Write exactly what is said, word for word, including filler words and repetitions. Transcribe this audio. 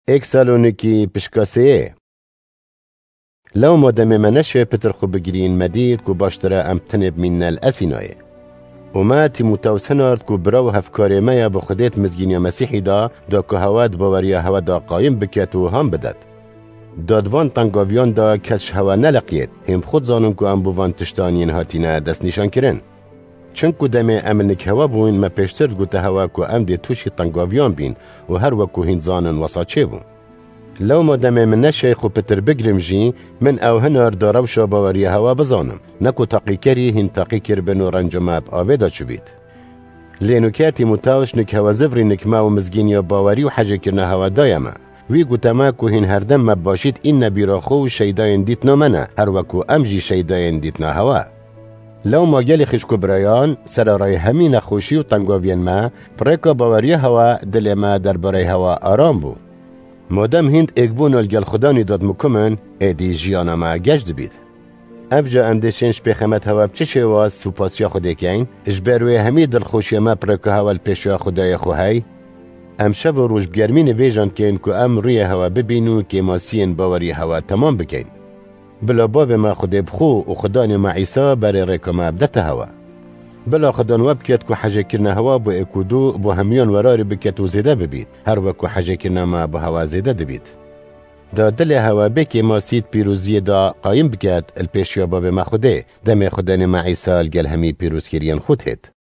Êk Salonîkî pişka sêyê. Lewma demê me neşê pitir xwe bigirîn, me dît ku baştir e em tinê bimînine li Esînayê. Û me Tîmotewis hinard ku bira û hevkarê me ya bi Xwedê di mizgîniya Mesîhî de, da ku hewe di baweriya hewe de qayim biket û han bidet. Da di van tengaviyan de kes ji hewe neleqiyêt, hîn bi xwe dizanin ku em bo van tiştan yên hatine destnîşankirin. Çinku demê em li nik hewe bûyn, me pêştir digute hewe ku em dê tûşî tengaviyan bîn û her wek ku hîn dizanin wesa çêbû. Lewma demê min neşey xwe pitir bigrim jî, min ew hinar da rewşa baweriya hewe bizanim. Ne ku taqîkerî hîn taqî kiribin û renca me bi avê de çûbît. Lê nûke Tîmotewis nik hewe zivrî nik me û mizgîniya bawerî û hecêkirina hewe daye me. Wî gote me ku hîn herdem me bi başî diîne bîra xwe û şeydayên dîtina me ne, her wek ku em jî şeydayên dîtina hewe. Lewma gelî xişk û birayan, serarayê hemî nexweşî û tengaviyên me, bi rêka baweriya hewe dilê me derbareyê hewe aram bû. Madem hîn di êkbûna li gel Xudanî de dimikimin, êdî jiyana me geş dibît. Evca em dê şên ji pêxemet hewe bi çi şêwaz supasiya Xwedê keyn, ji ber wê hemî dilxweşiya me bi rêka hewe li pêşiya Xwedayê xwe hey? Em şev û roj bi germî nivêjan dikeyn ku em rûyê hewe bibîn û kêmasiyên bawerî hewe temam bikeyn. Bila Babê me Xwedê bi xwe û Xudanê me Îsa berê rêka me bidete hewe. Bila Xudan we biket ku hecêkirina hewa bo êk û du bo hemiyan werarê biket û zêde bibît, her wek ku hecêkirina me bo hewa zêde dibît. Da dilê hewe bê kêmasî di pîroziyê de qayim biket, li pêşiya Babê me Xwedê, demê Xudanê me Îsa li gel hemî pîrozkiriyên xwe têt.